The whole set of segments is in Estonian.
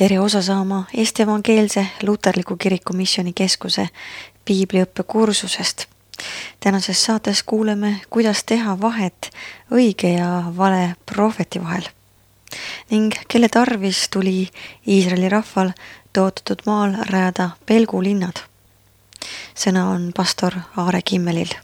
Tere osa saama Eesti Evangeelse Luterliku Kiriku Missioonikeskuse piibliõppe kursusest. Tänases saates kuuleme, kuidas teha vahet õige ja vale prohveti vahel ning kelle tarvis tuli Iisraeli rahval tõotatud maal rajada pelgulinnad. Sõna on pastor Aare Kimmelil.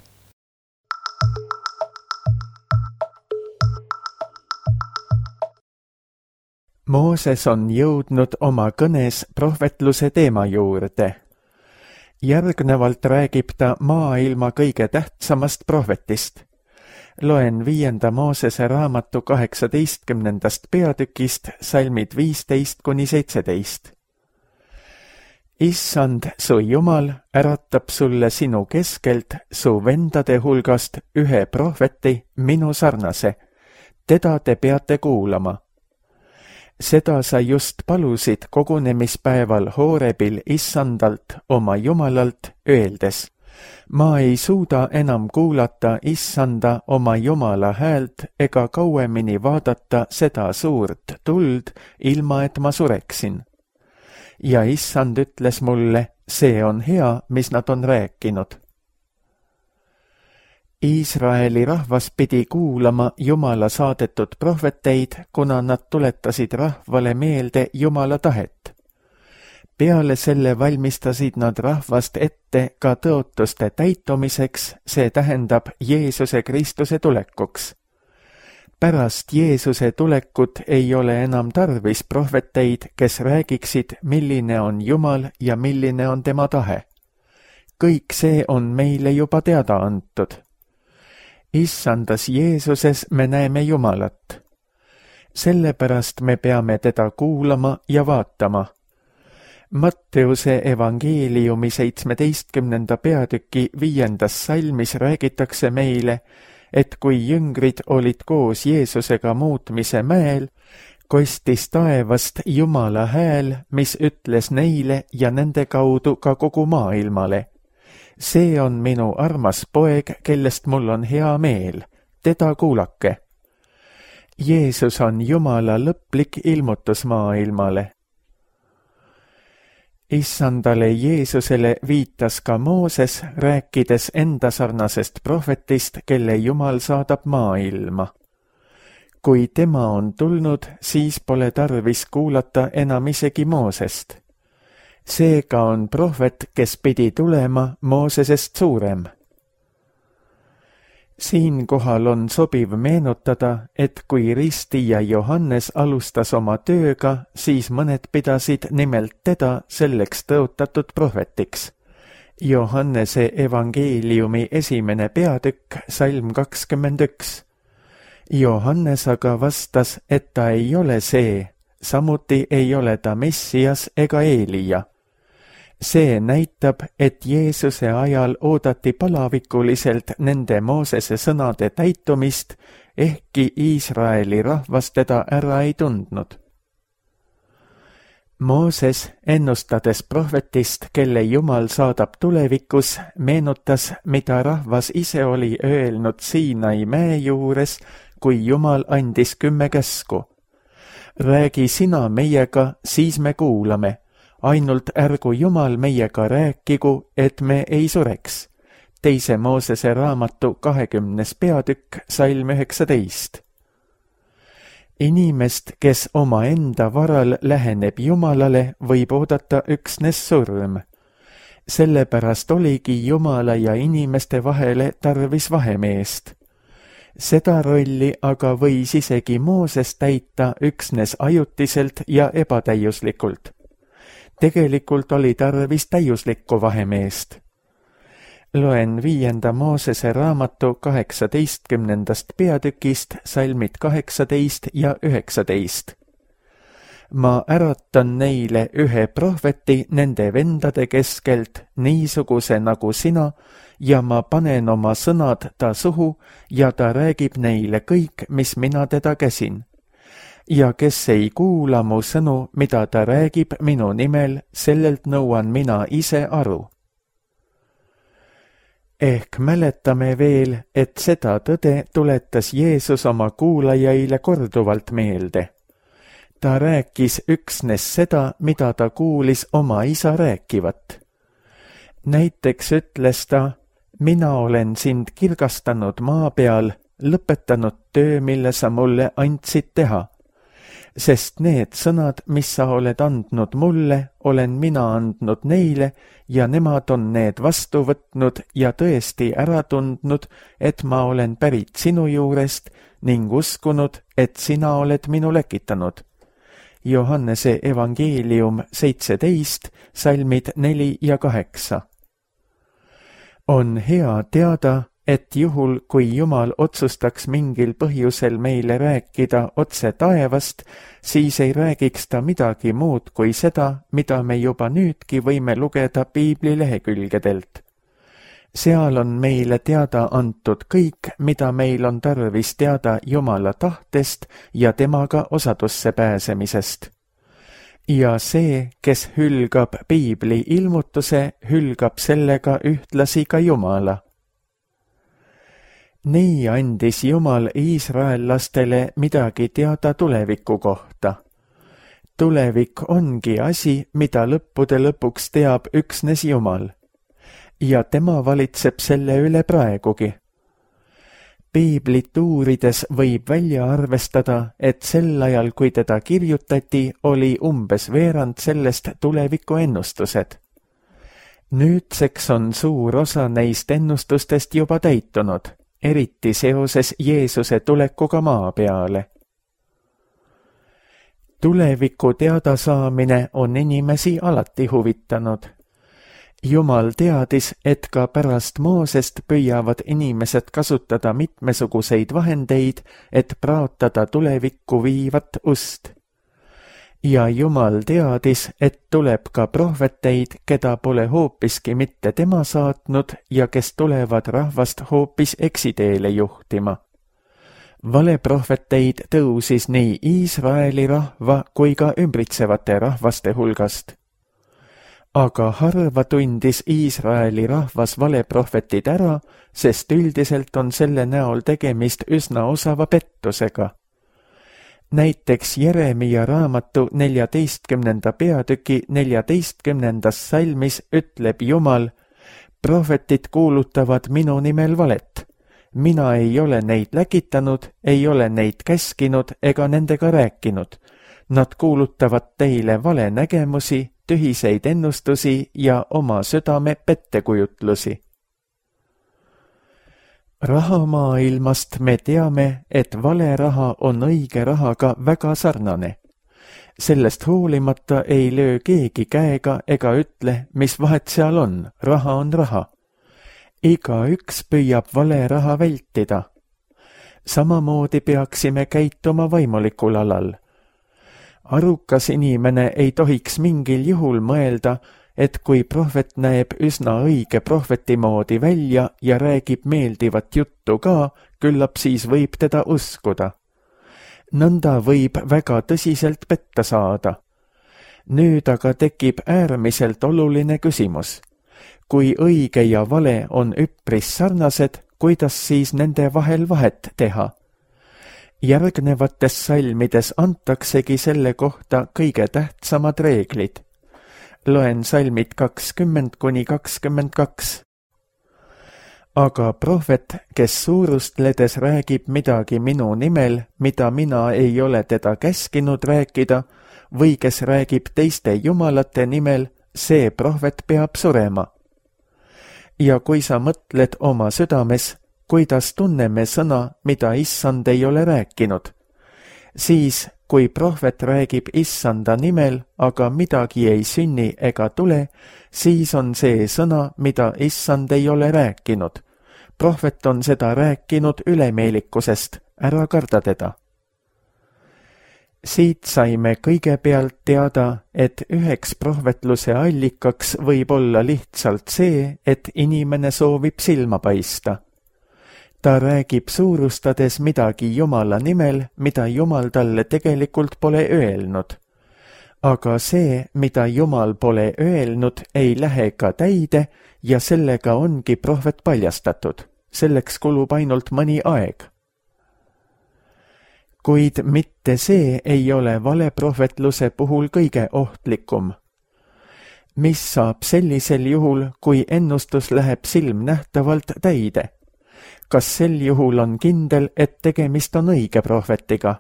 Mooses on jõudnud oma kõnes prohvetluse teema juurde. Järgnevalt räägib ta maailma kõige tähtsamast prohvetist. Loen 5. Moosese raamatu 18. peatükist salmid 15-17. Issand, su Jumal, äratab sulle sinu keskelt su vendade hulgast ühe prohveti, minu sarnase. Teda te peate kuulama. Seda sa just palusid kogunemispäeval Hoorebil Issandalt, oma Jumalalt, öeldes: ma ei suuda enam kuulata Issanda oma Jumala häält ega kauemini vaadata seda suurt tuld, ilma et ma sureksin. Ja Issand ütles mulle, see on hea, mis nad on rääkinud. Iisraeli rahvas pidi kuulama Jumala saadetud prohveteid, kuna nad tuletasid rahvale meelde Jumala tahet. Peale selle valmistasid nad rahvast ette ka tõotuste täitumiseks, see tähendab Jeesuse Kristuse tulekuks. Pärast Jeesuse tulekut ei ole enam tarvis prohveteid, kes räägiksid, milline on Jumal ja milline on tema tahe. Kõik see on meile juba teada antud. Issandas Jeesuses me näeme Jumalat. Sellepärast me peame teda kuulama ja vaatama. Matteuse evangeeliumi 17. peatüki 5. salmis räägitakse meile, et kui jüngrid olid koos Jeesusega muutmise mäel, kostis taevast Jumala hääl, mis ütles neile ja nende kaudu ka kogu maailmale: see on minu armas poeg, kellest mul on hea meel, teda kuulake. Jeesus on Jumala lõplik ilmutus maailmale. Issandale Jeesusele viitas ka Mooses, rääkides enda sarnasest prohvetist, kelle Jumal saadab maailma. Kui tema on tulnud, siis pole tarvis kuulata enam isegi Moosest. Seega on prohvet, kes pidi tulema, Moosesest suurem. Siinkohal on sobiv meenutada, et kui ristija Johannes alustas oma tööga, siis mõned pidasid nimelt teda selleks tõotatud prohvetiks. Johannese evangeeliumi 1. peatükk, salm 21. Johannes aga vastas, et ta ei ole see, samuti ei ole ta Messias ega Eelija. See näitab, et Jeesuse ajal oodati palavikuliselt nende Moosese sõnade täitumist, ehkki Iisraeli rahvas teda ära ei tundnud. Mooses, ennustades prohvetist, kelle Jumal saadab tulevikus, meenutas, mida rahvas ise oli öelnud Siinai mäe juures, kui Jumal andis 10 käsku. Räägi sina meiega, siis me kuulame. Ainult ärgu Jumal meiega rääkigu, et me ei sureks. 2. Moosese raamatu 20. peatükk, salm 19. Inimest, kes oma enda varal läheneb Jumalale, võib oodata üksnes surm. Sellepärast oligi Jumala ja inimeste vahele tarvis vahemeest. Seda rolli aga võis isegi Mooses täita üksnes ajutiselt ja ebatäiuslikult. Tegelikult oli tarvis täiuslikku vahemeest. Loen 5. Moosese raamatu 18. peatükist salmid 18 ja 19. Ma äratan neile ühe prohveti nende vendade keskelt, niisuguse nagu sina, ja ma panen oma sõnad ta suhu ja ta räägib neile kõik, mis mina teda käsin. Ja kes ei kuula mu sõnu, mida ta räägib minu nimel, sellelt nõuan mina ise aru. Ehk mäletame veel, et seda tõde tuletas Jeesus oma kuulajaile korduvalt meelde. Ta rääkis üksnes seda, mida ta kuulis oma isa rääkivat. Näiteks ütles ta, mina olen sind kirgastanud maa peal, lõpetanud töö, mille sa mulle andsid teha. Sest need sõnad, mis sa oled andnud mulle, olen mina andnud neile ja nemad on need vastu võtnud ja tõesti ära tundnud, et ma olen pärit sinu juurest ning uskunud, et sina oled minu läkitanud. Johannese evangeelium 17, salmid 4 ja 8. On hea teada, et juhul, kui Jumal otsustaks mingil põhjusel meile rääkida otse taevast, siis ei räägiks ta midagi muud kui seda, mida me juba nüüdki võime lugeda piibli lehekülgedelt. Seal on meile teada antud kõik, mida meil on tarvis teada Jumala tahtest ja temaga osadusse pääsemisest. Ja see, kes hülgab piibli ilmutuse, hülgab sellega ühtlasi ka Jumala. Nii andis Jumal iisraellastele midagi teada tuleviku kohta. Tulevik ongi asi, mida lõppude lõpuks teab üksnes Jumal. Ja tema valitseb selle üle praegugi. Piiblit uurides võib välja arvestada, et sel ajal, kui teda kirjutati, oli umbes veerand sellest tuleviku ennustused. Nüüdseks on suur osa neist ennustustest juba täitunud, eriti seoses Jeesuse tulekuga maa peale. Tuleviku teadasaamine on inimesi alati huvitanud. Jumal teadis, et ka pärast Moosest püüavad inimesed kasutada mitmesuguseid vahendeid, et praotada tulevikku viivat ust. Ja Jumal teadis, et tuleb ka prohveteid, keda pole hoopiski mitte tema saatnud ja kes tulevad rahvast hoopis eksiteele juhtima. Valeprohveteid tõusis nii Iisraeli rahva kui ka ümbritsevate rahvaste hulgast. Aga harva tundis Iisraeli rahvas valeprohvetid ära, sest üldiselt on selle näol tegemist üsna osava pettusega. Näiteks Jeremia raamatu 14. peatüki 14. salmis ütleb Jumal, prohvetid kuulutavad minu nimel valet. Mina ei ole neid läkitanud, ei ole neid käskinud ega nendega rääkinud. Nad kuulutavad teile vale nägemusi, tühiseid ennustusi ja oma südame pettekujutlusi. Rahamaailmast me teame, et vale raha on õige rahaga väga sarnane. Sellest hoolimata ei löö keegi käega ega ütle, mis vahet seal on, raha on raha. Igaüks püüab vale raha vältida. Samamoodi peaksime käituma vaimulikul alal. Arukas inimene ei tohiks mingil juhul mõelda, et kui prohvet näeb üsna õige prohveti moodi välja ja räägib meeldivat juttu ka, küllap siis võib teda uskuda. Nõnda võib väga tõsiselt petta saada. Nüüd aga tekib äärmiselt oluline küsimus. Kui õige ja vale on üpris sarnased, kuidas siis nende vahel vahet teha? Järgnevates salmides antaksegi selle kohta kõige tähtsamad reeglid. Loen salmid 20–22. Aga prohvet, kes suurustledes räägib midagi minu nimel, mida mina ei ole teda käskinud rääkida, või kes räägib teiste jumalate nimel, see prohvet peab surema. Ja kui sa mõtled oma südames, kuidas tunneme sõna, mida issand ei ole rääkinud, siis kui prohvet räägib issanda nimel, aga midagi ei sünni ega tule, siis on see sõna, mida issand ei ole rääkinud. Prohvet on seda rääkinud ülemeelikusest, ära karda teda. Siit saime kõigepealt teada, et üheks prohvetluse allikaks võib olla lihtsalt see, et inimene soovib silma paista. Ta räägib suurustades midagi Jumala nimel, mida Jumal talle tegelikult pole öelnud. Aga see, mida Jumal pole öelnud, ei lähe ka täide ja sellega ongi prohvet paljastatud. Selleks kulub ainult mõni aeg. kuid mitte see ei ole valeprohvetluse puhul kõige ohtlikum. Mis saab sellisel juhul, kui ennustus läheb silmnähtavalt täide? Kas sel juhul on kindel, et tegemist on õige prohvetiga?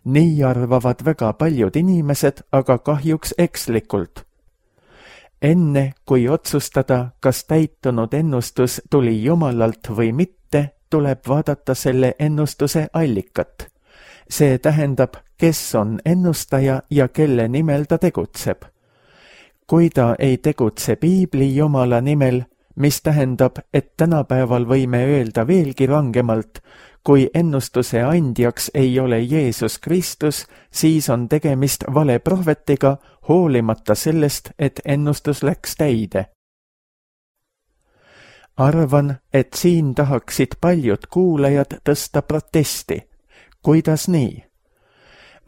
Nii arvavad väga paljud inimesed, aga kahjuks ekslikult. Enne, kui otsustada, kas täitunud ennustus tuli Jumalalt või mitte, tuleb vaadata selle ennustuse allikat. See tähendab, kes on ennustaja ja kelle nimel ta tegutseb. Kui ta ei tegutse Piibli Jumala nimel, mis tähendab, et tänapäeval võime öelda veelgi rangemalt, kui ennustuse andjaks ei ole Jeesus Kristus, siis on tegemist valeprohvetiga, hoolimata sellest, et ennustus läks täide. Arvan, et siin tahaksid paljud kuulajad tõsta protesti. Kuidas nii?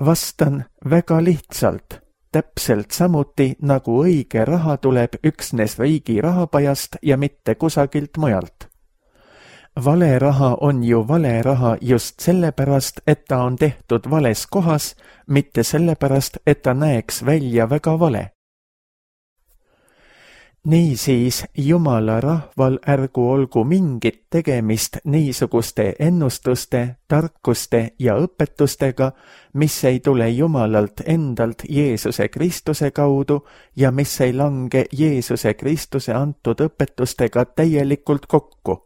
Vastan väga lihtsalt. Täpselt samuti, nagu õige raha tuleb üksnes riigi rahapajast ja mitte kusagilt mujalt. Vale raha on ju vale raha just sellepärast, et ta on tehtud vales kohas, mitte sellepärast, et ta näeks välja väga vale. Niisiis, Jumala rahval ärgu olgu mingit tegemist niisuguste ennustuste, tarkuste ja õpetustega, mis ei tule Jumalalt endalt Jeesuse Kristuse kaudu ja mis ei lange Jeesuse Kristuse antud õpetustega täielikult kokku.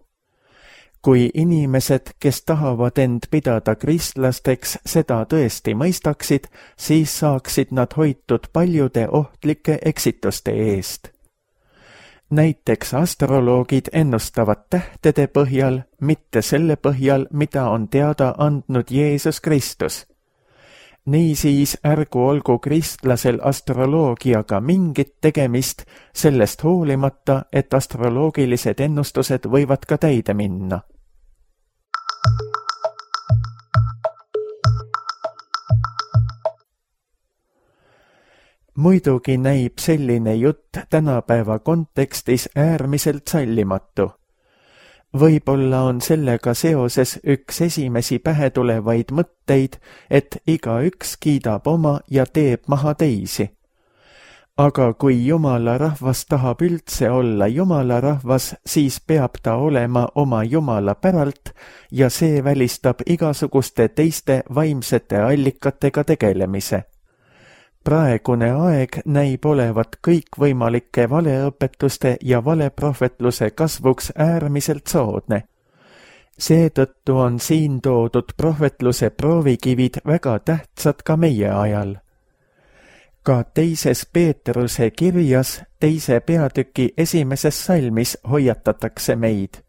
Kui inimesed, kes tahavad end pidada kristlasteks, seda tõesti mõistaksid, siis saaksid nad hoitud paljude ohtlike eksituste eest. Näiteks astroloogid ennustavad tähtede põhjal, mitte selle põhjal, mida on teada andnud Jeesus Kristus. Niisiis ärgu olgu kristlasel astroloogiaga mingit tegemist, sellest hoolimata, et astroloogilised ennustused võivad ka täide minna. Muidugi näib selline jutt tänapäeva kontekstis äärmiselt sallimatu. Võib-olla on sellega seoses üks esimesi pähe tulevaid mõtteid, et igaüks kiidab oma ja teeb maha teisi. Aga kui Jumala rahvas tahab üldse olla Jumala rahvas, siis peab ta olema oma Jumala päralt ja see välistab igasuguste teiste vaimsete allikatega tegelemise. Praegune aeg näib olevat kõikvõimalike valeõpetuste ja valeprohvetluse kasvuks äärmiselt soodne. Seetõttu on siin toodud prohvetluse proovikivid väga tähtsad ka meie ajal. Ka teises Peetruse kirjas 2. peatüki 1. salmis hoiatatakse meid.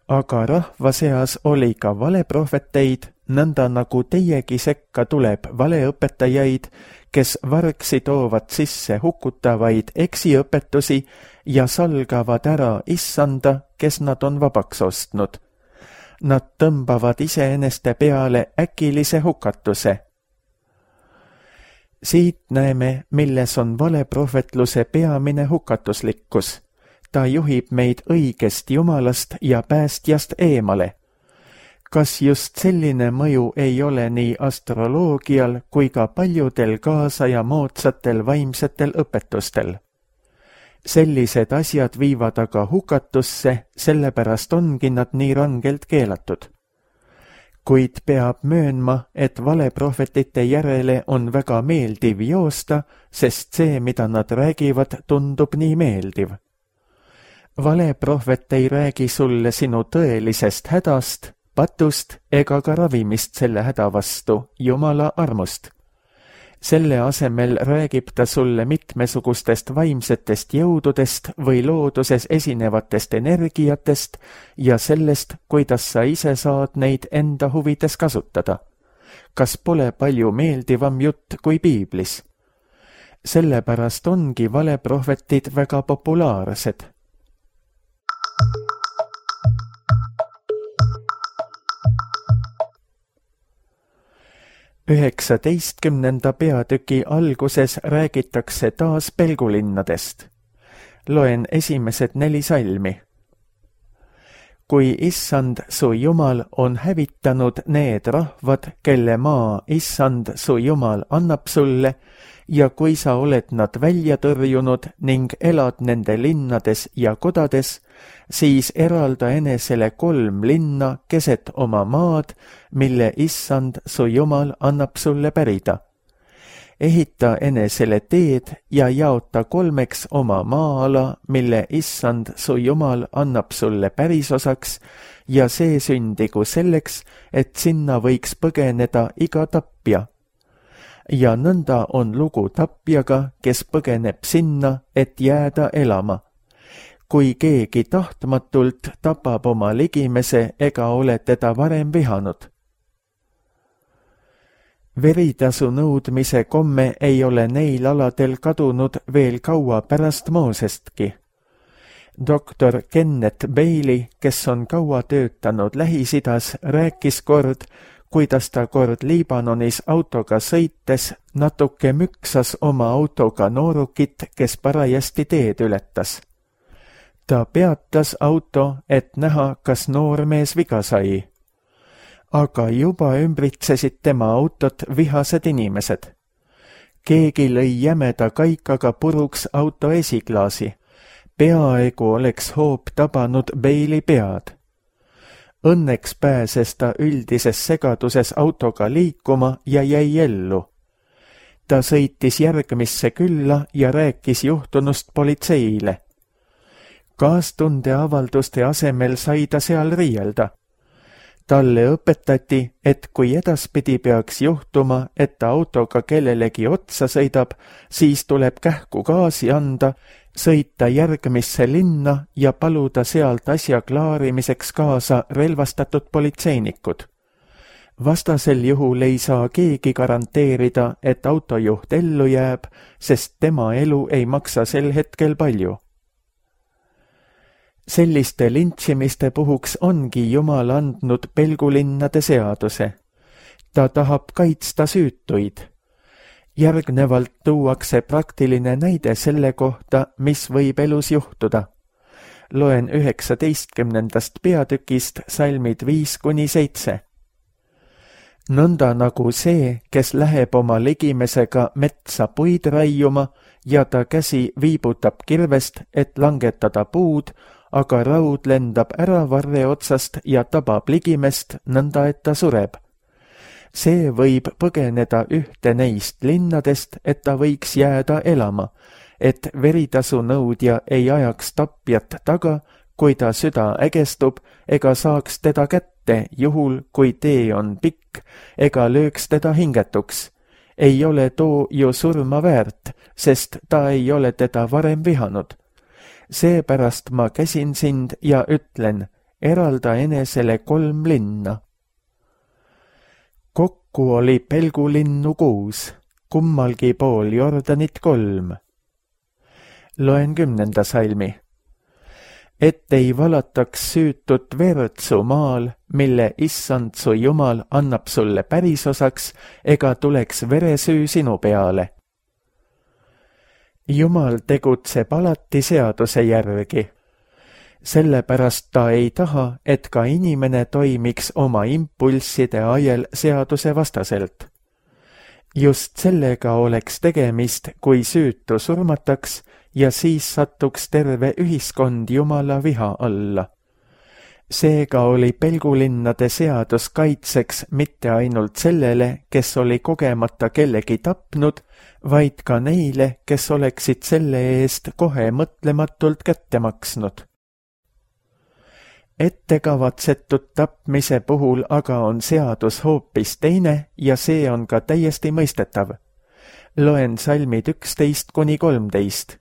Aga rahva seas oli ka valeprohveteid, nõnda nagu teiegi sekka tuleb valeõpetajaid, kes vargsi toovad sisse hukutavaid eksiõpetusi ja salgavad ära issanda, kes nad on vabaks ostnud. Nad tõmbavad iseeneste peale äkilise hukatuse. Siit näeme, milles on valeprohvetluse peamine hukatuslikkus. Ta juhib meid õigest Jumalast ja päästjast eemale. Kas just selline mõju ei ole nii astroloogial kui ka paljudel kaasaja moodsatel vaimsetel õpetustel? Sellised asjad viivad aga hukatusse, sellepärast ongi nad nii rangelt keelatud. Kuid peab möönma, et valeprohvetite järele on väga meeldiv joosta, sest see, mida nad räägivad, tundub nii meeldiv. Valeprohvet ei räägi sulle sinu tõelisest hädast, patust ega ka ravimist selle häda vastu, Jumala armust. Selle asemel räägib ta sulle mitmesugustest vaimsetest jõududest või looduses esinevatest energiatest ja sellest, kuidas sa ise saad neid enda huvides kasutada. Kas pole palju meeldivam jutt kui Piiblis? Sellepärast ongi valeprohvetid väga populaarsed. Üheksateistkümnenda peatüki alguses räägitakse taas pelgulinnadest. Loen esimesed 4 salmi. kui issand su Jumal on hävitanud need rahvad, kelle maa issand su Jumal annab sulle, ja kui sa oled nad välja tõrjunud ning elad nende linnades ja kodades, siis eralda enesele 3 linna keset oma maad, mille issand su Jumal annab sulle pärida. Ehita enesele teed ja jaota 3 oma maa-ala, mille issand su Jumal annab sulle pärisosaks, ja see sündigu selleks, et sinna võiks põgeneda iga tapja. Ja nõnda on lugu tapjaga, kes põgeneb sinna, et jääda elama. Kui keegi tahtmatult tapab oma ligimese ega ole teda varem vihanud. Veritasu nõudmise komme ei ole neil aladel kadunud veel kaua pärast Moosestki. Doktor Kenneth Bailey, kes on kaua töötanud Lähis-Idas, rääkis kord, kuidas ta kord Liibanonis autoga sõites natuke müksas oma autoga noorukit, kes parajasti teed ületas. Ta peatas auto, et näha, kas noormees viga sai. Aga juba ümbritsesid tema autot vihased inimesed. Keegi lõi jämeda kaikaga puruks auto esiklaasi. Peaaegu oleks hoop tabanud Bailey pead. Õnneks pääses ta üldises segaduses autoga liikuma ja jäi ellu. Ta sõitis järgmisse külla ja rääkis juhtunust politseile. Kaastunde avalduste asemel sai ta seal riielda. Talle õpetati, et kui edaspidi peaks juhtuma, et ta autoga kellelegi otsa sõidab, siis tuleb kähku gaasi anda, sõita järgmisse linna ja paluda sealt asja klaarimiseks kaasa relvastatud politseinikud. Vastasel juhul ei saa keegi garanteerida, et autojuht ellu jääb, sest tema elu ei maksa sel hetkel palju. Selliste lintšimiste puhuks ongi Jumal andnud pelgulinnade seaduse. Ta tahab kaitsta süütuid. Järgnevalt tuuakse praktiline näide selle kohta, mis võib elus juhtuda. Loen 19. peatükist salmid 5-7. Nõnda nagu see, kes läheb oma ligimesega metsa puid raiuma ja ta käsi viibutab kirvest, et langetada puud, aga raud lendab ära varre otsast ja tabab ligimest nõnda, et ta sureb. See võib põgeneda ühte neist linnadest, et ta võiks jääda elama, et veritasu nõudja ei ajaks tapjat taga, kui ta süda ägestub, ega saaks teda kätte, juhul kui tee on pikk, ega lööks teda hingetuks. Ei ole too ju surma väärt, sest ta ei ole teda varem vihanud. Seepärast ma käsin sind ja ütlen, eralda enesele 3 linna. Kokku oli pelgulinnu 6, kummalgi pool Jordanit 3. Loen 10. salmi. Et ei valataks süütut verd su maal, mille issand su Jumal annab sulle pärisosaks, ega tuleks veresüü sinu peale. Jumal tegutseb alati seaduse järgi. Sellepärast ta ei taha, et ka inimene toimiks oma impulsside ajel seaduse vastaselt. Just sellega oleks tegemist, kui süütu surmataks ja siis satuks terve ühiskond Jumala viha alla. Seega oli pelgulinnade seadus kaitseks mitte ainult sellele, kes oli kogemata kellegi tapnud, vaid ka neile, kes oleksid selle eest kohe mõtlematult kätte maksnud. Ettekavatsetud tapmise puhul aga on seadus hoopis teine ja see on ka täiesti mõistetav. Loen salmid 11-13.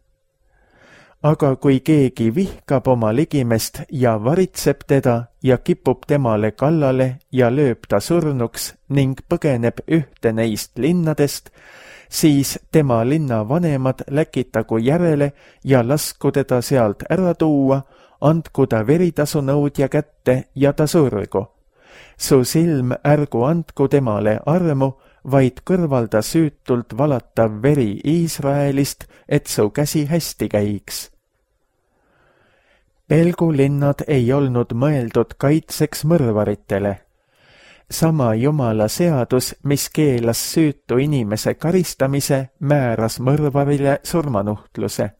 Aga kui keegi vihkab oma ligimest ja varitseb teda ja kipub temale kallale ja lööb ta surnuks ning põgeneb ühte neist linnadest, siis tema linna vanemad läkitagu järele ja lasku teda sealt ära tuua, andku ta veritasu nõudja kätte ja ta surgu. Su silm ärgu andku temale armu, vaid kõrvalda süütult valatav veri Iisraelist, et su käsi hästi käiks. pelgulinnad ei olnud mõeldud kaitseks mõrvaritele. Sama Jumala seadus, mis keelas süütu inimese karistamise, määras mõrvarile surmanuhtluse.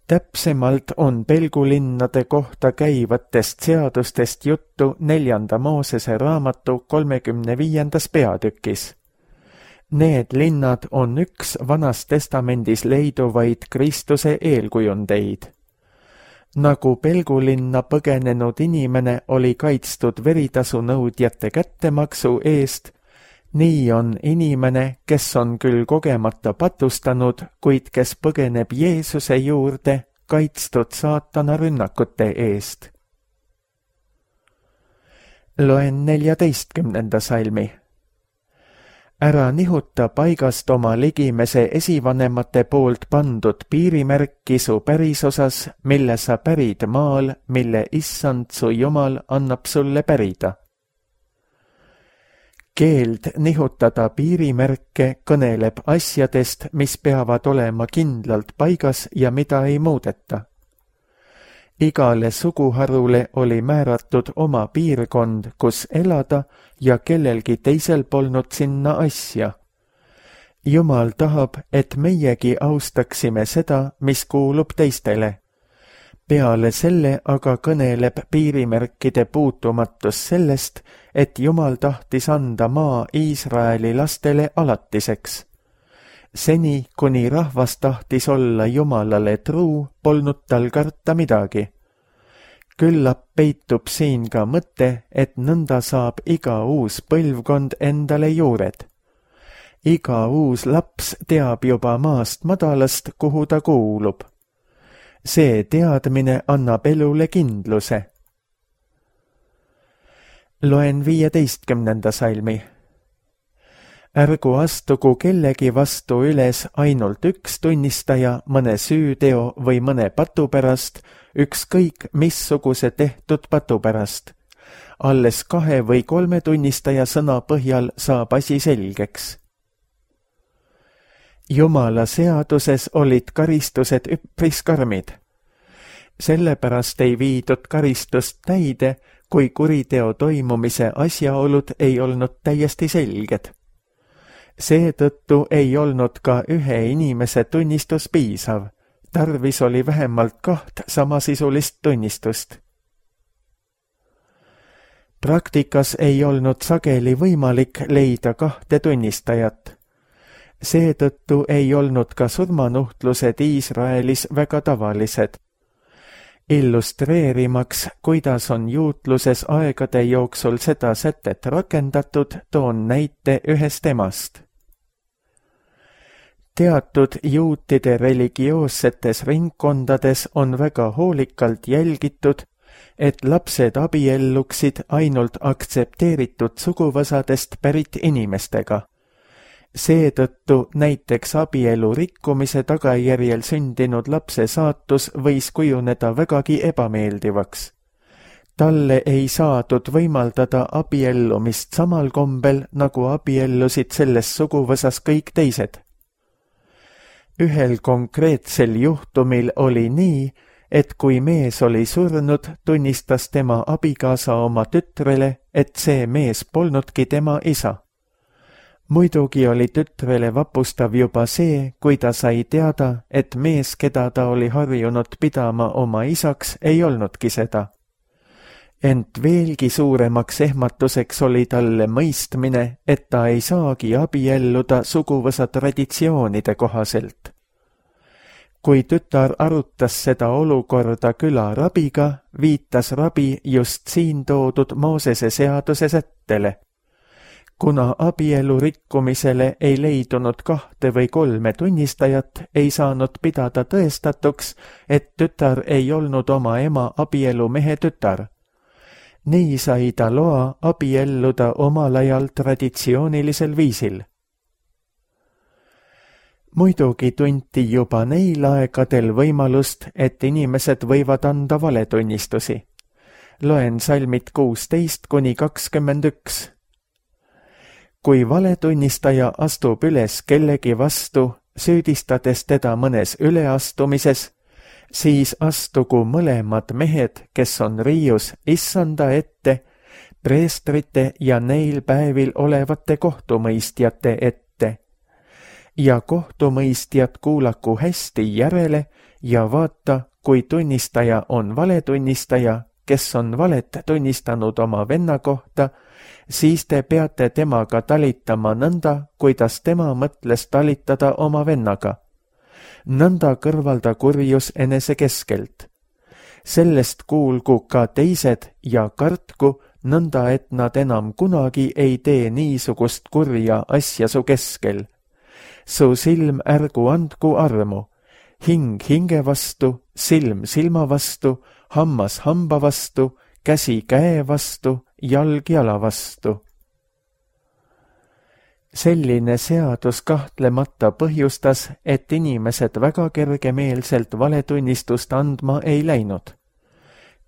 Täpsemalt on pelgulinnade kohta käivatest seadustest juttu 4. Moosese raamatu 35. peatükis. Need linnad on üks Vanas Testamendis leiduvaid Kristuse eelkujundeid. Nagu pelgulinna põgenenud inimene oli kaitstud veritasu nõudjate kättemaksu eest, nii on inimene, kes on küll kogemata patustanud, kuid kes põgeneb Jeesuse juurde, kaitstud saatana rünnakute eest. Loen 14. salmi. Ära nihuta paigast oma ligimese esivanemate poolt pandud piirimärki su pärisosas, mille sa pärid maal, mille Issand su Jumal annab sulle pärida. Keeld nihutada piirimärke kõneleb asjadest, mis peavad olema kindlalt paigas ja mida ei muudeta. Igale suguharule oli määratud oma piirkond, kus elada ja kellelgi teisel polnud sinna asja. Jumal tahab, et meiegi austaksime seda, mis kuulub teistele. Peale selle aga kõneleb piirimärkide puutumatus sellest, et Jumal tahtis anda maa Iisraeli lastele alatiseks. Seni, kuni rahvas tahtis olla Jumalale truu, polnud tal karta midagi. Küllap peitub siin ka mõte, et nõnda saab iga uus põlvkond endale juured. Iga uus laps teab juba maast madalast, kuhu ta kuulub. See teadmine annab elule kindluse. Loen 15. salmi. Ärgu astugu kellegi vastu üles ainult üks tunnistaja mõne süüteo või mõne patu pärast, ükskõik missuguse tehtud patu pärast. Alles 2 või 3 tunnistaja sõna põhjal saab asi selgeks. Jumala seaduses olid karistused üpris karmid. Sellepärast ei viidud karistust täide, kui kuriteo toimumise asjaolud ei olnud täiesti selged. Seetõttu ei olnud ka ühe inimese tunnistus piisav, tarvis oli vähemalt 2 samasisulist tunnistust. Praktikas ei olnud sageli võimalik leida 2 tunnistajat. Seetõttu ei olnud ka surmanuhtlused Iisraelis väga tavalised. Illustreerimaks, kuidas on juutluses aegade jooksul seda sätet rakendatud, toon näite ühest emast. Teatud juutide religioossetes ringkondades on väga hoolikalt jälgitud, et lapsed abielluksid ainult aktsepteeritud suguvõsadest pärit inimestega. Seetõttu näiteks abielu rikkumise tagajärjel sündinud lapse saatus võis kujuneda vägagi ebameeldivaks. Talle ei saadud võimaldada abiellumist samal kombel, nagu abiellusid selles suguvõsas kõik teised. Ühel konkreetsel juhtumil oli nii, et kui mees oli surnud, tunnistas tema abikaasa oma tütrele, et see mees polnudki tema isa. Muidugi oli tütrele vapustav juba see, kui ta sai teada, et mees, keda ta oli harjunud pidama oma isaks, ei olnudki seda. Ent veelgi suuremaks ehmatuseks oli talle mõistmine, et ta ei saagi abielluda suguvõsa traditsioonide kohaselt. Kui tütar arutas seda olukorda küla rabiga, viitas rabi just siin toodud Moosese seaduse sättele. Kuna abielu rikkumisele ei leidunud 2 või 3 tunnistajat, ei saanud pidada tõestatuks, et tütar ei olnud oma ema abielumehe tütar. Nii sai ta loa abielluda omal ajal traditsioonilisel viisil. Muidugi tunti juba neil aegadel võimalust, et inimesed võivad anda valetunnistusi. Loen salmid 16–21. Kui valetunnistaja astub üles kellegi vastu, süüdistades teda mõnes üleastumises, siis astugu mõlemad mehed, kes on riius issanda ette, preestrite ja neil päevil olevate kohtumõistjate ette. Ja kohtumõistjad kuulaku hästi järele ja vaata, kui tunnistaja on valetunnistaja, kes on valet tunnistanud oma venna kohta, siis te peate temaga talitama nõnda, kuidas tema mõtles talitada oma vennaga. Nõnda kõrvalda kurjus enese keskelt. Sellest kuulgu ka teised ja kartku, nõnda et nad enam kunagi ei tee niisugust kurja asja su keskel. Su silm ärgu andku armu, hing hinge vastu, silm silma vastu, hammas hamba vastu, käsi käe vastu, jalg jala vastu. Selline seadus kahtlemata põhjustas, et inimesed väga kergemeelselt valetunnistust andma ei läinud.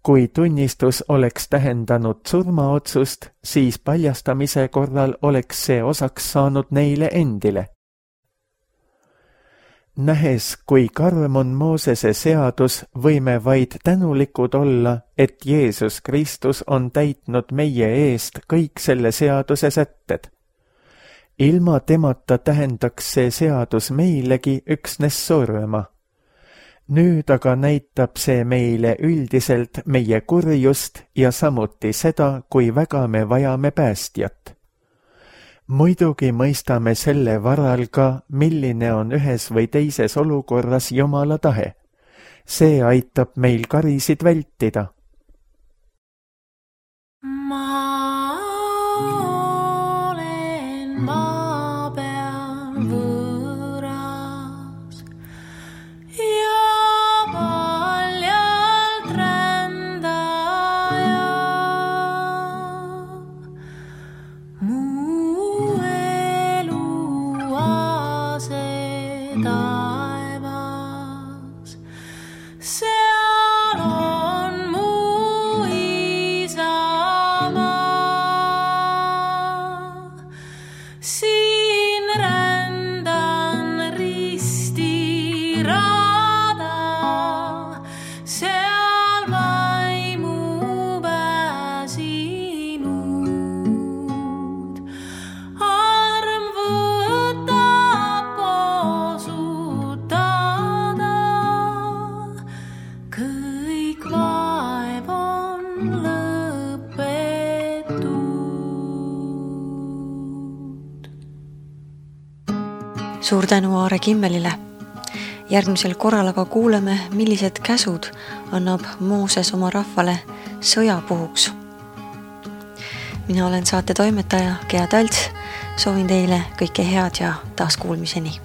Kui tunnistus oleks tähendanud surmaotsust, siis paljastamise korral oleks see osaks saanud neile endile. Nähes, kui karm on Moosese seadus, võime vaid tänulikud olla, et Jeesus Kristus on täitnud meie eest kõik selle seaduse sätted. Ilma temata tähendaks see seadus meilegi üksnes surma. Nüüd aga näitab see meile üldiselt meie kurjust ja samuti seda, kui väga me vajame päästjat. Muidugi mõistame selle varal ka, milline on ühes või teises olukorras Jumala tahe. See aitab meil karisid vältida. Suur tänu Aare Kimmelile. Järgmisel korral aga kuuleme, millised käsud annab Mooses oma rahvale sõja puhuks. Mina olen saate toimetaja Gea Talts. Soovin teile kõike head ja taas kuulmiseni.